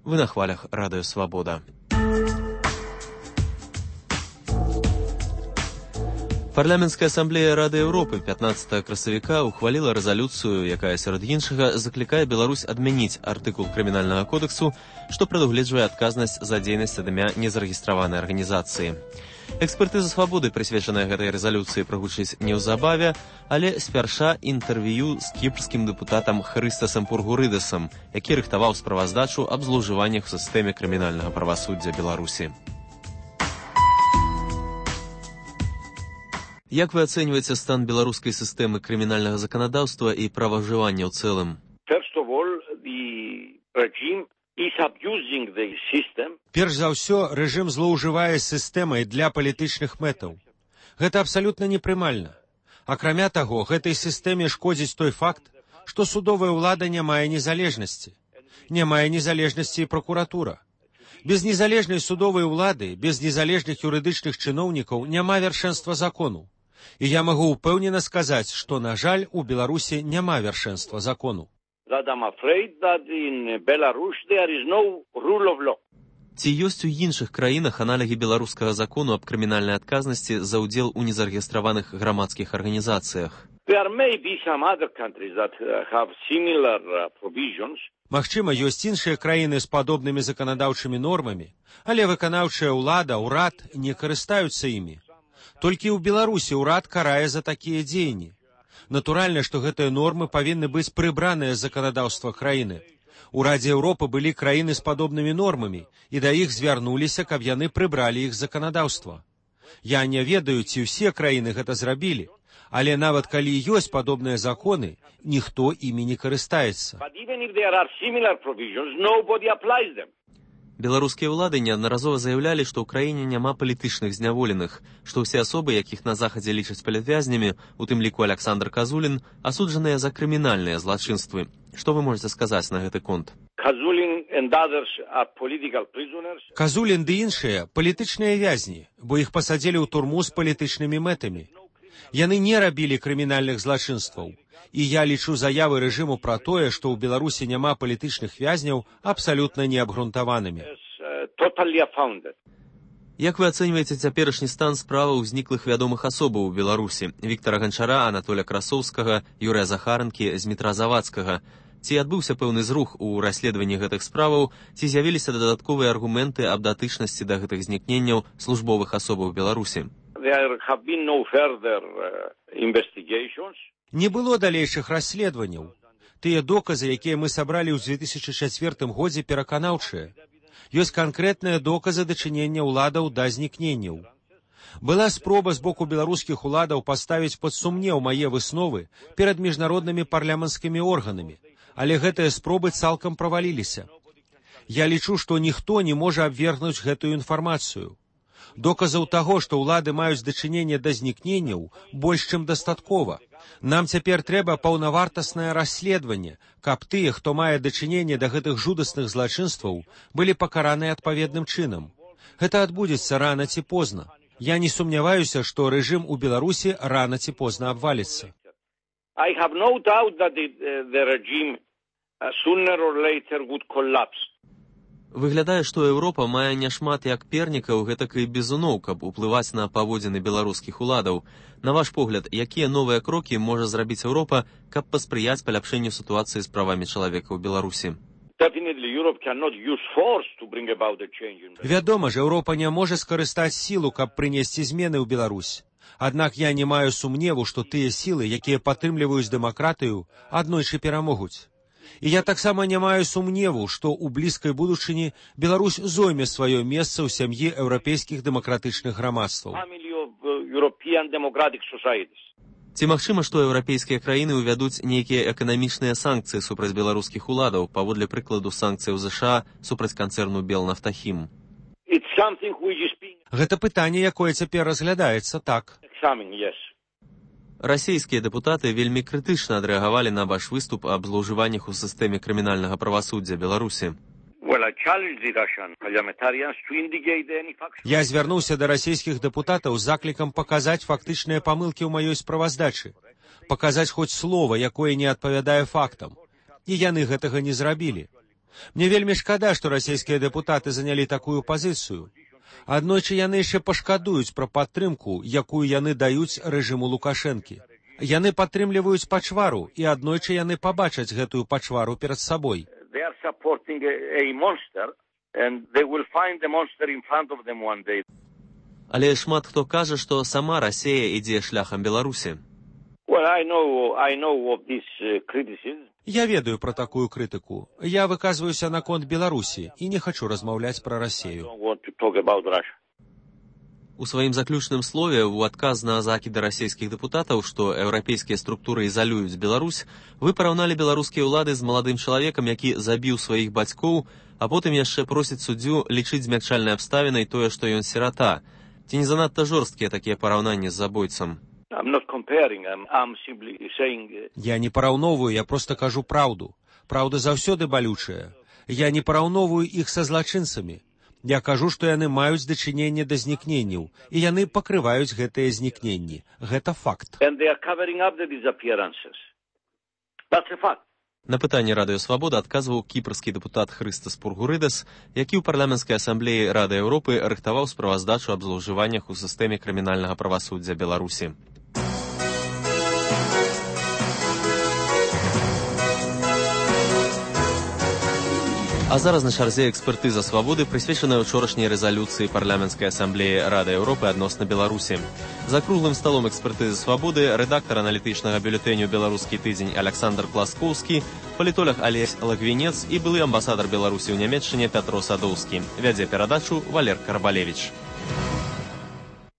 Вы на хвалях Радыё Свабода. Парламенцкая асамблея Рады Еўропы 15 красавіка ухваліла рэзалюцыю, якая сярод іншага заклікае Беларусь адмяніць артыкул крымінальнага кодексу, што прадугледжвае адказнасць за дзейнасць ад імя незарэгістраванай арганізацыі. Экспертыза свабоды, прысвечаная гэтай рэзалюцыі, прагучыць неўзабаве, але спярша інтэрв'ю з кіпрскім дэпутатам Хрыстасам Пургурыдасам, які рыхтаваў справаздачу аб злоўжываннях у сістэме крымінальнага правасуддзя Беларусі. Як вы ацэньваеце стан беларускай сістэмы крымінальнага заканадаўства і праважывання ў цэлым? Перш за ўсё, рэжым злоўжывае сістэмай для палітычных мэтаў. Гэта абсалютна непрымальна. Акрамя таго, гэтай сістэме шкодзіць той факт, што судовая ўлада не мае незалежнасці. Не мае незалежнасці і пракуратура. Без незалежнай судовай улады, без незалежных юрыдычных чыноўнікаў няма вяршэнства закону. І я магу ўпэўнена сказаць, што, на жаль, у Беларусі няма вяршэнства закону. Ці ёсць у іншых краінах аналогі беларускага закону аб крымінальнай адказнасці за ўдзел у незарэгістраваных грамадскіх арганізацыях? Магчыма, ёсць іншыя краіны з падобнымі заканадаўчымі нормамі, але выканаўчая ўлада, ўрад не карыстаюцца імі. Толькі ў Беларусі ўрад карае за такія дзеянні. Натуральна, што гэтыя нормы павінны быць прыбраныя з заканадаўства краіны. У Радзе Еўропы былі краіны з падобнымі нормамі, і да іх звярнуліся, каб яны прыбралі іх заканадаўства. Я не ведаю, ці ўсе краіны гэта зрабілі, але нават калі ёсць падобныя законы, ніхто імі не карыстаецца. Беларускія ўлады неаднаразова заявлялі, што ў краіне няма палітычных зняволеных, што ўсе асобы, якіх на захадзе лічаць палітвязнямі, у тым ліку Аляксандр Казулін, асуджаныя за крымінальныя злачынствы. Што вы можаце сказаць на гэты конт? Казулін ды іншыя палітычныя вязні, бо іх пасадзілі ў турму з палітычнымі мэтамі. Яны не рабілі крымінальных злачынстваў. І я лічу заявы рэжыму пра тое, што ў Беларусі няма палітычных вязняў, абсалютна неабгрунтаванымі. Як вы ацэньваеце цяперашні стан справаў зніклых вядомых асобаў у Беларусі? Віктара Ганчара, Анатоля Красоўскага, Юрыя Захаранкі, Змітра Завадскага. Ці адбыўся пэўны зрух у расследаванні гэтых справаў, ці з'явіліся дадатковыя аргументы аб датычнасці да гэтых знікненняў службовых асобаў Беларусі? Не было далейшых расследаванняў. Тыя доказы, якія мы сабралі ў 2004 годзе, пераканаўчыя. Ёсць канкрэтныя доказы дачынення ўладаў да знікненняў. Была спроба з боку беларускіх уладаў паставіць пад сумнеў мае высновы перад міжнароднымі парламенцкімі органамі, але гэтыя спробы цалкам праваліліся. Я лічу, што ніхто не можа абвергнуць гэтую інфармацыю. Доказаў таго, што ўлады маюць дачыненне да знікненняў, больш чым дастаткова. Нам цяпер трэба паўнавартаснае расследаванне, каб тыя, хто мае дачыненне да гэтых жудасных злачынстваў, былі пакараныя адпаведным чынам. Гэта адбудзецца рана ці позна. Я не сумняваюся, што рэжым у Беларусі рана ці позна абваліцца. Выглядае, што Еўропа мае няшмат як пернікаў, гэтак і бізуноў, каб уплываць на паводзіны беларускіх уладаў. На ваш погляд, якія новыя крокі можа зрабіць Еўропа, каб паспрыяць паляпшэнню сітуацыі з правамі чалавека ў Беларусі? Вядома ж, Еўропа не можа скарыстаць сілу, каб прынесці змены ў Беларусь. Аднак я не маю сумневу, што тыя сілы, якія падтрымліваюць дэмакратыю, аднойчы перамогуць. І я таксама не маю сумневу, што ў блізкай будучыні Беларусь зойме сваё месца ў сям'і еўрапейскіх дэмакратычных грамадстваў. Ці магчыма, што еўрапейскія краіны ўвядуць нейкія эканамічныя санкцыі супраць беларускіх уладаў, паводле прыкладу санкцыяў ЗША супраць канцэрну Белнафтахім? Гэта пытанне, якое цяпер разглядаецца, так. Расійскія дэпутаты вельмі крытычна адрэагавалі на ваш выступ аб злоўжываннях у сістэме крымінальнага правасуддзя Беларусі. Я звярнуўся да расійскіх дэпутатаў з заклікам паказаць фактычныя памылкі ў маёй справаздачы, паказаць хоць слова, якое не адпавядае фактам. І яны гэтага не зрабілі. Мне вельмі шкада, што расійскія дэпутаты занялі такую пазіцыю. Аднойчы яны яшчэ пашкадуюць пра падтрымку, якую яны даюць рэжыму Лукашэнкі. Яны падтрымліваюць пачвару, і аднойчы яны пабачаць гэтую пачвару перад сабой. Але шмат хто кажа, што сама Расія ідзе шляхам Беларусі. Я ведаю пра такую крытыку. Я выказваюся наконт Беларусі і не хачу размаўляць пра Расію. У сваім заключным слове ў адказ на закіды расійскіх дэпутатаў, што еўрапейскія структуры ізалююць Беларусь, вы параўналі беларускія ўлады з маладым чалавекам, які забіў сваіх бацькоў, а потым яшчэ просіць суддзю лічыць змякчальнай абставінай тое, што ён сірата. Ці не занадта жорсткія такія параўнанні з забойцам? Я не параўноўваю, я проста кажу праўду. Праўда заўсёды балючая. Я не параўноўваю іх са злачынцамі. Я кажу, што яны маюць дачыненне да знікненняў, і яны пакрываюць гэтыя знікненні. Гэта факт. На пытанне Радыё Свабода адказваў кіпрскі дэпутат Хрыстас Пургурыдас, які ў парламенцкай асамблеі Рады Еўропы рыхтаваў справаздачу аб злоўжываннях у сістэме крымінальнага правасуддзя Беларусі. А зараз на чарзе экспертыза свабоды, прысвечаная учорашняй рэзалюцыі парламенцкай асамблеі Рады Еўропы адносна Беларусі. За круглым сталом экспертызы свабоды рэдактар аналітычнага бюлетэню «Беларускі тыдзень» Александр Пласкоўскі, палітолог Алесь Лагвінец і былы амбасадар Беларусі ў Нямецчыне Пятро Садоўскі. Вядзе перадачу Валер Карбалевіч.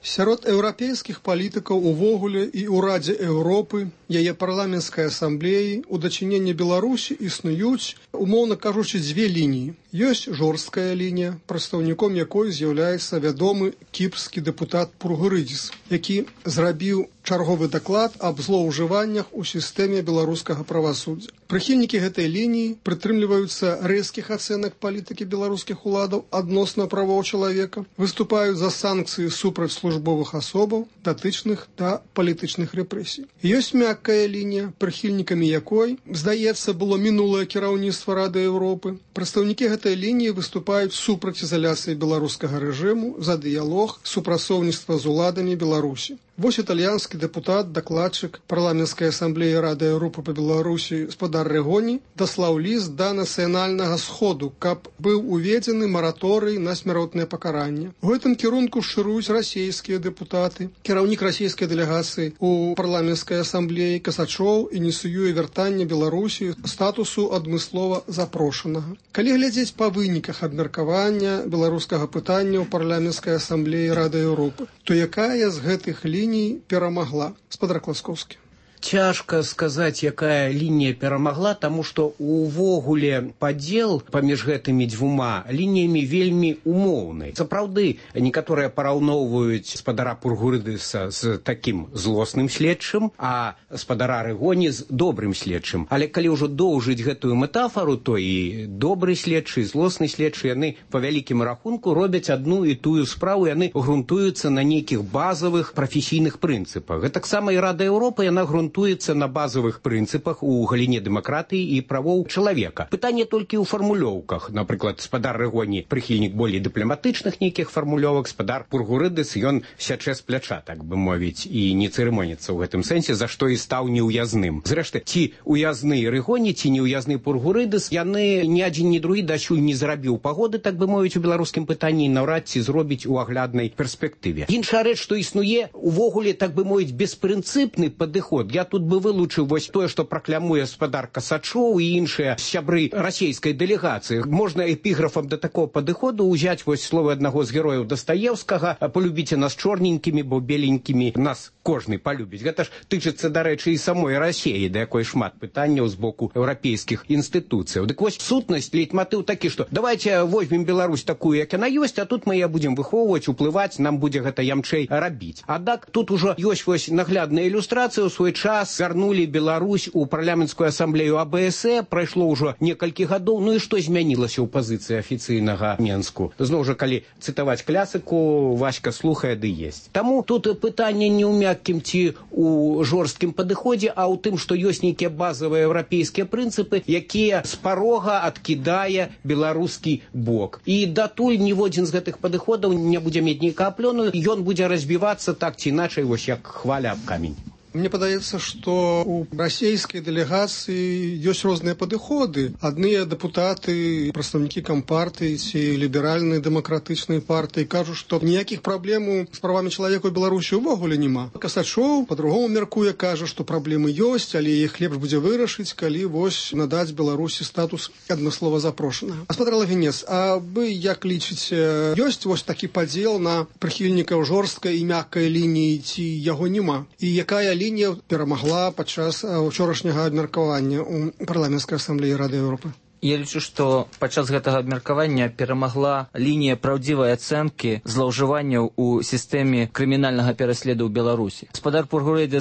Сярод еўрапейскіх палітыкаў увогуле і ў Радзе Еўропы, яе парламенцкай асамблеі, у дачыненні Беларусі існуюць, умоўна кажучы, дзве лініі. Ёсць жорсткая лінія, прадстаўніком якой з'яўляецца вядомы кіпрскі дэпутат Пургурыдзіс, які зрабіў чарговы даклад аб злоўжываннях у сістэме беларускага правасуддзя. Прыхільнікі гэтай лініі прытрымліваюцца рэзкіх ацэнак палітыкі беларускіх уладаў адносна правоў чалавека, выступаюць за санкцыі супраць службовых асобаў, датычных да палітычных рэпрэсій. Ёсць мяккая лінія, прыхільнікамі якой, здаецца, было мінулае кіраўніцтва Рады Еўропы. Прадстаўнікі гэтай лініі выступаюць супраць ізаляцыі беларускага рэжыму, за дыялог, супрацоўніцтва з уладамі Беларусі. Вось італьянскі дэпутат, дакладчык парламенцкай асамблеі Рады Еўропы па Беларусі спадар Рэгоні даслаў ліст да нацыянальнага сходу, каб быў уведзены мараторый на смяротнае пакаранне. У гэтым кірунку шыруюць расійскія дэпутаты. Кіраўнік расійскай дэлегацыі у парламенцкай асамблеі Касачоў ініцыюе вяртанне Беларусі статусу адмыслова запрошанага. Калі глядзець па выніках абмеркавання беларускага пытання ў парламенцкай асамблеі Рады Еўропы, то якая з гэтых ліній перамагла? Спадар Класкоўскі. Цяжка сказаць, якая лінія перамагла, таму што увогуле падзел паміж гэтымі дзвюма лініямі вельмі умоўны. Сапраўды, некаторыя параўноўваюць спадара Пургурыдыса з такім злосным следчым, а спадара Рэгоні з добрым следчым. Але калі ўжо доўжыць гэтую метафору, то і добры следчы, і злосны следчы, яны па вялікім рахунку робяць адну і тую справу, яны грунтуюцца на нейкіх базавых прафесійных прынцыпах. Гэтаксама і Рада Еўропы, яна грунтуецца на базовых прынцыпах у галіне дэмакратыі і правоў чалавека. Пытанне толькі ў фармулёўках. Напрыклад, спадар Рэгоні прыхільнік болей дыпламатычных нейкіх фармулёвак, спадар Пургурыдыс, ён сячэ з пляча, так бы мовіць, і не цырымоніцца ў гэтым сэнсе, за што і стаў неўязным. Зрэшты, ці ўязны Рэгоні, ці неўязны Пургурыдыс, яны ні адзін, ні другі дасюль не зрабіў пагоды, так бы мовіць, у беларускім пытанні, наўрад ці зробіць у агляднай перспектыве. Іншая рэч, што існуе увогуле, так бы мовіць, беспрынцыпны падыход. Я тут бы вылучыў вось тое, што праклямуе спадар Касачоў і іншыя сябры расійскай дэлегацыі. Можна эпіграфам да такого падыходу ўзяць вось словы аднаго з герояў Дастаеўскага: «Полюбіце нас чорненькімі, бо беленькімі нас кожны полюбіць». Гэта ж тычыцца, дарэчы, і самой Расіі, да якой шмат пытанняў з боку еўрапейскіх інстытуцыяў. Дык вось сутнасць, лейтматыў такі, што давайте возьмем Беларусь такую, як яна ёсць, а тут мы яе будзем выхоўваць, уплываць, нам будзе гэта ямчэй рабіць. Аднак тут ужо ёсць вось наглядная ілюстрацыя. У свой час вярнулі Беларусь у парламенцкую асамблею АБСЭ, прайшло ўжо некалькі гадоў, ну і што змянілася ў пазіцыі афіцыйнага Менску? Зноў жа, калі цытаваць класыку, Васька слухае ды есць. Таму тут пытанне не ў мяккім ці у жорсткім падыходзе, а ў тым, што ёсць нейкія базавыя еўрапейскія прынцыпы, якія з парога адкідае беларускі бок. І датуль ніводзін з гэтых падыходаў не будзе мець нейкага плёну, ён будзе разбівацца так ці іначай, вось як хваля аб камень. Мне падаецца, што у расійскай дэлегацыі ёсць розныя падыходы. Адныя дэпутаты, прадстаўнікі кампартыі ці ліберальнай дэмакратычнай партыі кажуць, што ніякіх праблем з правамі чалавека ў Беларусі ўвогуле няма. Касачоў па-другому мяркуе, кажа, што праблемы ёсць, але іх лепш будзе вырашыць, калі вось надаць Беларусі статус адмыслова запрошанага. Гаспадар Лавінец, а вы як лічыце, ёсць вось такі падзел на прыхільнікаў жорсткай і мяккай лініі, ці яго няма? І якая лінія перамагла падчас учорашняга абмеркавання ў парламенцкай асамблеі Рады Еўропы? Я лічу, што падчас гэтага абмеркавання перамагла лінія праўдзівай ацэнкі злоўжыванняў у сістэме крымінальнага пераследу ў Беларусі. Гаспадар Пургурэдзе